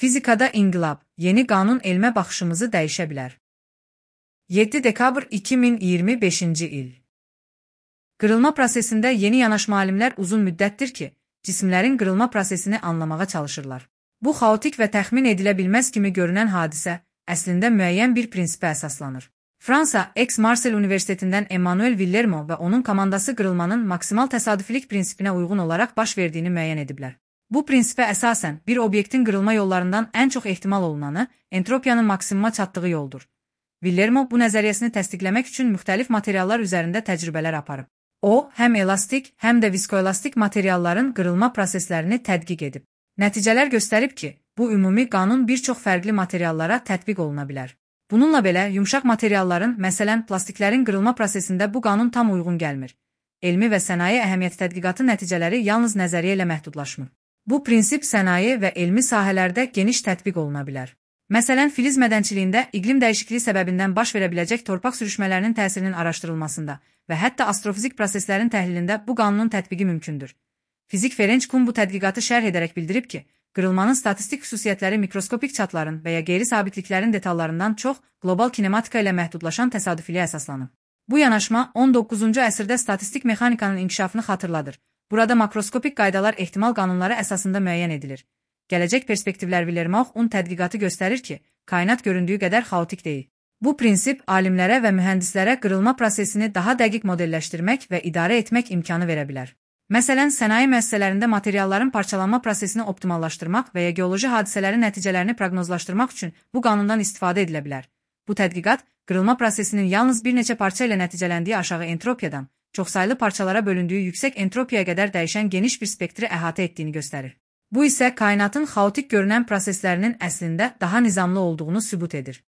Fizikada inqilab, yeni qanun elmə baxışımızı dəyişə bilər. 7 dekabr 2025-ci il. Qırılma prosesində yeni yanaşma alimlər uzun müddətdir ki, cisimlərin qırılma prosesini anlamağa çalışırlar. Bu xaotik və təxmin edilə bilməz kimi görünən hadisə, əslində müəyyən bir prinsipə əsaslanır. Fransa, Aix-Marseille Universitetindən Emmanuel Villermo və onun komandası qırılmanın maksimal təsadüfilik prinsipinə uyğun olaraq baş verdiyini müəyyən ediblər. Bu prinsipə əsasən bir obyektin qırılma yollarından ən çox ehtimal olunanı entropiyanın maksimuma çatdığı yoldur. Villermo bu nəzəriyyəsini təsdiqləmək üçün müxtəlif materiallar üzərində təcrübələr aparıb. O, həm elastik, həm də viskoelastik materialların qırılma proseslərini tədqiq edib. Nəticələr göstərib ki, bu ümumi qanun bir çox fərqli materiallara tətbiq oluna bilər. Bununla belə, yumşaq materialların, məsələn, plastiklərin qırılma prosesində bu qanun tam uyğun gəlmir. Elmi və sənaye əhəmiyyəti tədqiqatı nəticələri yalnız nəzəriyyə ilə məhdudlaşmır. Bu prinsip sənaye və elmi sahələrdə geniş tətbiq oluna bilər. Məsələn, filiz mədənçiliyində iqlim dəyişikliyi səbəbindən baş verə biləcək torpaq sürüşmələrinin təsirinin araşdırılmasında və hətta astrofizik proseslərin təhlilində bu qanunun tətbiqi mümkündür. Fizik Ferenc Kuhn bu tədqiqatı şərh edərək bildirib ki, qırılmanın statistik xüsusiyyətləri mikroskopik çatların və ya qeyri-sabitliklərin detallarından çox qlobal kinematika ilə məhdudlaşan təsadüfiliyə əsaslanıb. Bu yanaşma 19-cu əsrdə statistik mexanikanın inkişafını xatırladır. Burada makroskopik qaydalar ehtimal qanunları əsasında müəyyən edilir. Gələcək perspektivlər Villermo'un tədqiqatı göstərir ki, kainat göründüyü qədər xaotik deyil. Bu prinsip alimlərə və mühəndislərə qırılma prosesini daha dəqiq modelləşdirmək və idarə etmək imkanı verə bilər. Məsələn, sənaye müəssisələrində materialların parçalanma prosesini optimallaşdırmaq və ya geoloji hadisələrin nəticələrini proqnozlaşdırmaq üçün bu qanundan istifadə edilə bilər. Bu tədqiqat, qırılma prosesinin yalnız bir neçə parça ilə nəticələndiyi aşağı entropiyadan, çoxsaylı parçalara bölündüyü yüksək entropiyaya qədər dəyişən geniş bir spektri əhatə etdiyini göstərir. Bu isə kainatın xaotik görünən proseslərinin əslində daha nizamlı olduğunu sübut edir.